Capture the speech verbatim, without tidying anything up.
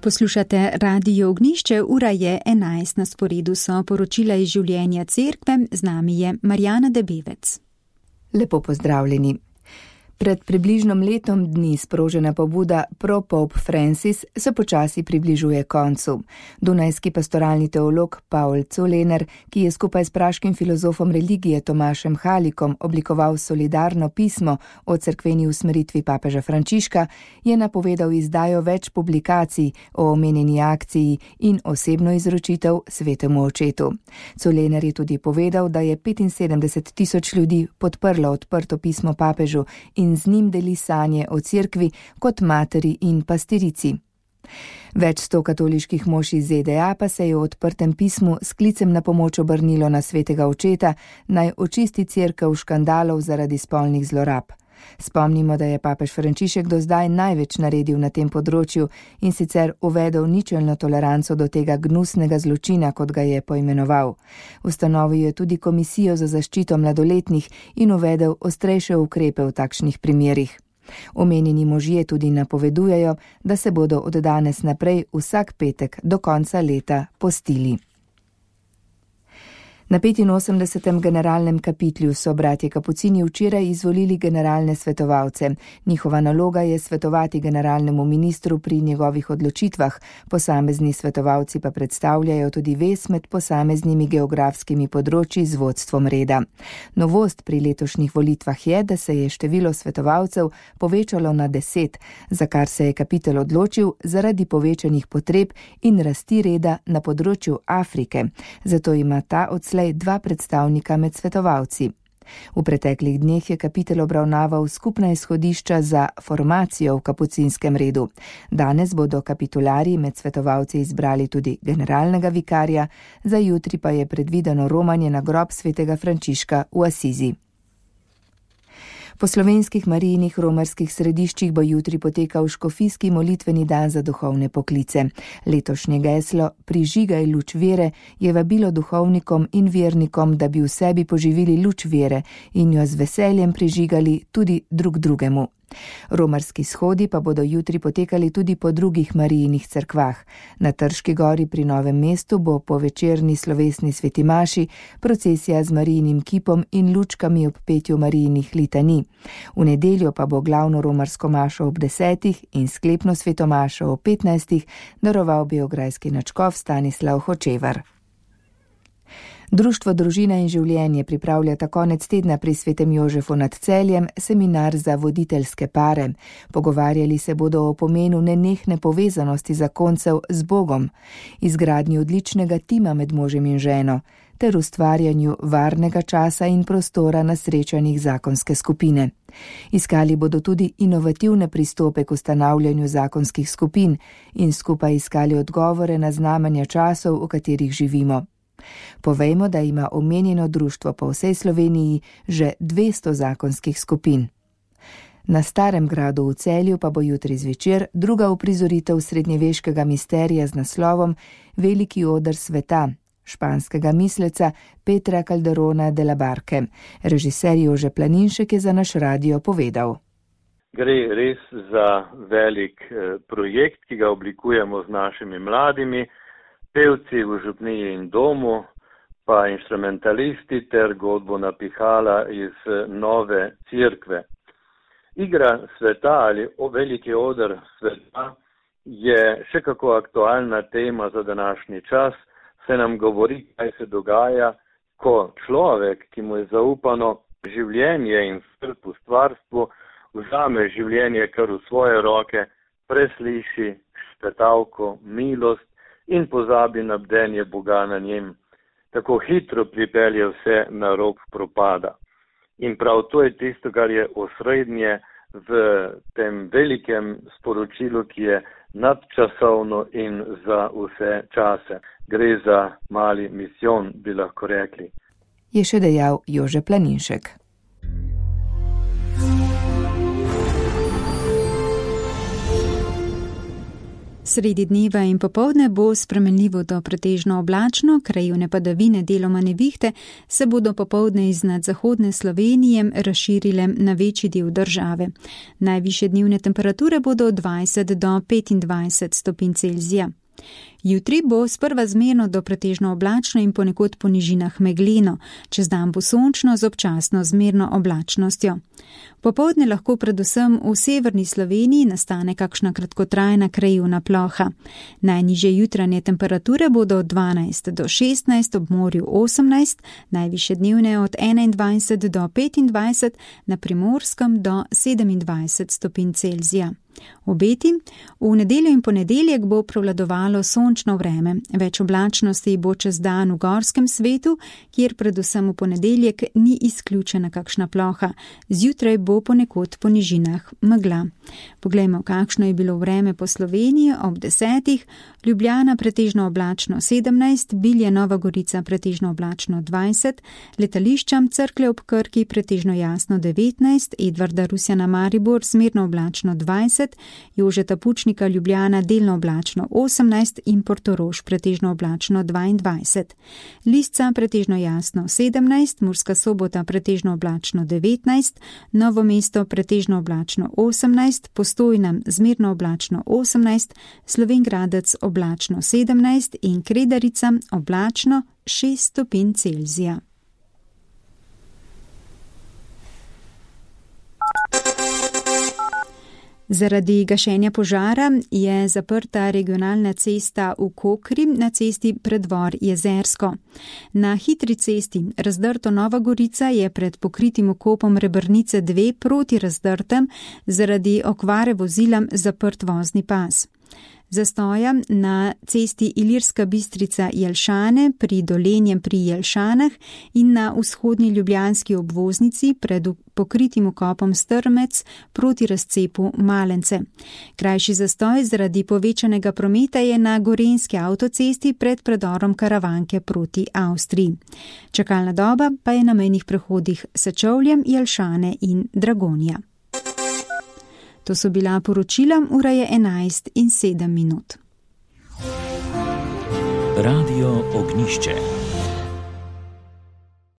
Poslušate Radio Ognjišče, ura je enajst, na sporedu so poročila iz življenja cerkve, z nami je Marjana Debevec. Lepo pozdravljeni. Pred približno letom dni sprožena pobuda Pro-Pope Francis se počasi približuje koncu. Dunajski pastoralni teolog Paul Zollner, ki je skupaj s praškim filozofom religije Tomašem Halikom oblikoval solidarno pismo o cerkveni usmeritvi papeža Frančiška, je napovedal izdajo več publikacij o omenjeni akciji in osebno izročitev svetemu očetu. Zollner je tudi povedal, da je petinsedemdeset tisoč ljudi podprlo odprto pismo papežu in z njim deli sanje o cerkvi kot materi in pastirici. Več sto katoliških mož iz Z D A pa se je v odprtem pismu s klicem na pomoč obrnilo na svetega očeta, naj očisti cerkev škandalov zaradi spolnih zlorab. Spomnimo, da je papež Frančišek do zdaj največ naredil na tem področju in sicer uvedel ničelno toleranco do tega gnusnega zločina, kot ga je poimenoval. Ustanovil je tudi komisijo za zaščito mladoletnih in uvedel ostrejše ukrepe v takšnih primerih. Omenjeni možje tudi napovedujejo, da se bodo od danes naprej vsak petek do konca leta postili. Na petinosemdesetem generalnem kapitlju so bratje kapucini včeraj izvolili generalne svetovalce. Njihova naloga je svetovati generalnemu ministru pri njegovih odločitvah, posamezni svetovalci pa predstavljajo tudi vez med posameznimi geografskimi področji z vodstvom reda. Novost pri letošnjih volitvah je, da se je število svetovalcev povečalo na deset, za kar se je kapitel odločil zaradi povečanih potreb in rasti reda na področju Afrike. Zato ima ta odslej dva predstavnika med svetovalci. V preteklih dneh je kapitel obravnaval skupna izhodišča za formacijo v kapucinskem redu. Danes bodo kapitularji med svetovalci izbrali tudi generalnega vikarja, za jutri pa je predvideno romanje na grob svetega Frančiška v Asizi. Po slovenskih marijinih romarskih središčih bo jutri potekal škofijski molitveni dan za duhovne poklice. Letošnje geslo Prižigaj luč vere je vabilo duhovnikom in vernikom, da bi v sebi poživili luč vere in jo z veseljem prižigali tudi drug drugemu. Romarski shodi pa bodo jutri potekali tudi po drugih marijinih cerkvah. Na Trški gori pri Novem mestu bo po večerni slovesni sveti maši procesija z marijinim kipom in lučkami ob petju marijinih litanij. V nedeljo pa bo glavno romarsko mašo ob desetih in sklepno sveto mašo ob petnajstih daroval beograjski nadškof Stanislav Hočevar. Društvo Družina in življenje pripravlja ta konec tedna pri Svetem Jožefu nad Celjem seminar za voditeljske pare. Pogovarjali se bodo o pomenu nenehne povezanosti zakoncev z Bogom, izgradnji odličnega tima med možem in ženo, ter ustvarjanju varnega časa in prostora na srečanjih zakonske skupine. Iskali bodo tudi inovativne pristope k ustanavljanju zakonskih skupin in skupaj iskali odgovore na znamenja časov, v katerih živimo. Povejmo, da ima omenjeno društvo po vsej Sloveniji že dvesto zakonskih skupin. Na Starem gradu v Celju pa bo jutri zvečer druga uprizoritev srednjeveškega misterija z naslovom Veliki oder sveta, španskega misleca Petra Calderona de la Barke. Režiser Jože Planinšek je za naš radio povedal. Gre res za velik projekt, ki ga oblikujemo z našimi mladimi, pevci v župniji in domu, pa inštrumentalisti ter godbo napihala iz nove cerkve. Igra sveta ali veliki oder sveta je še kako aktualna tema za današnji čas, se nam govori, kaj se dogaja, ko človek, ki mu je zaupano življenje in skrb v stvarstvu, vzame življenje kar v svoje roke, presliši špetavko, milost in pozabi na bdenje Boga na njem. Tako hitro pripelje vse na rob propada. In prav to je tisto, kar je osrednje v tem velikem sporočilu, ki je nadčasovno in za vse čase. Gre za mali misijon, bi lahko rekli. Je še dejal Jože Planinšek. Sredi dneva in popoldne bo spremenljivo do pretežno oblačno, krajevne padavine deloma nevihte se bodo popoldne iznad zahodne Slovenije razširile na večji del države. Najvišje dnevne temperature bodo od dvajset do petindvajset stopinj Celzija. Jutri bo sprva zmerno do pretežno oblačno in ponekod po nižinah megleno, čez dan bo sončno z občasno zmerno oblačnostjo. Popoldne lahko predvsem v severni Sloveniji nastane kakšna kratkotrajna krajevna ploha. Najnižje jutranje temperature bodo od dvanajst do šestnajst, ob morju osemnajst, najvišje dnevne od enaindvajset do petindvajset, na Primorskem do sedemindvajset stopinj Celzija. Obeti: v nedeljo in ponedeljek bo prevladovalo sončno vreme, več oblačnosti bo čez dan v gorskem svetu, kjer predvsem v ponedeljek ni izključena kakšna ploha, zjutraj bo ponekod po nižinah megla. Poglejmo, kakšno je bilo vreme po Sloveniji ob desetih. Ljubljana pretežno oblačno sedemnajst, Bilje Nova Gorica pretežno oblačno dvajset, letališča Cerklje ob Krki pretežno jasno devetnajst, Edvarda Rusjana Maribor zmerno oblačno dvajset, Jožeta Pučnika Ljubljana delno oblačno osemnajst in Portorož pretežno oblačno dvaindvajset. Lisca pretežno jasno sedemnajst, Murska Sobota pretežno oblačno devetnajst, Novo mesto pretežno oblačno osemnajst, Postojna zmerno oblačno osemnajst, Slovenj Gradec oblačno sedemnajst in Kredarica oblačno šest stopinj Celzija. Zaradi gašenja požara je zaprta regionalna cesta v Kokri na cesti Predvor Jezersko. Na hitri cesti Razdrto Nova Gorica je pred pokritim vkopom Rebrnice dve proti Razdrtem zaradi okvare vozila zaprt vozni pas. Zastoja na cesti Ilirska Bistrica Jelšane pri Dolenjem pri Jelšanah in na vzhodnji ljubljanski obvoznici pred pokritim vkopom Strmec proti razcepu Malence. Krajši zastoj zaradi povečanega prometa je na Gorenjski avtocesti pred predorom Karavanke proti Avstriji. Čakalna doba pa je na mejnih prehodih Sečovljem, Jelšane in Dragonja. To so bila poročila, ura je enajst in sedem minut. Radio Ognjišče.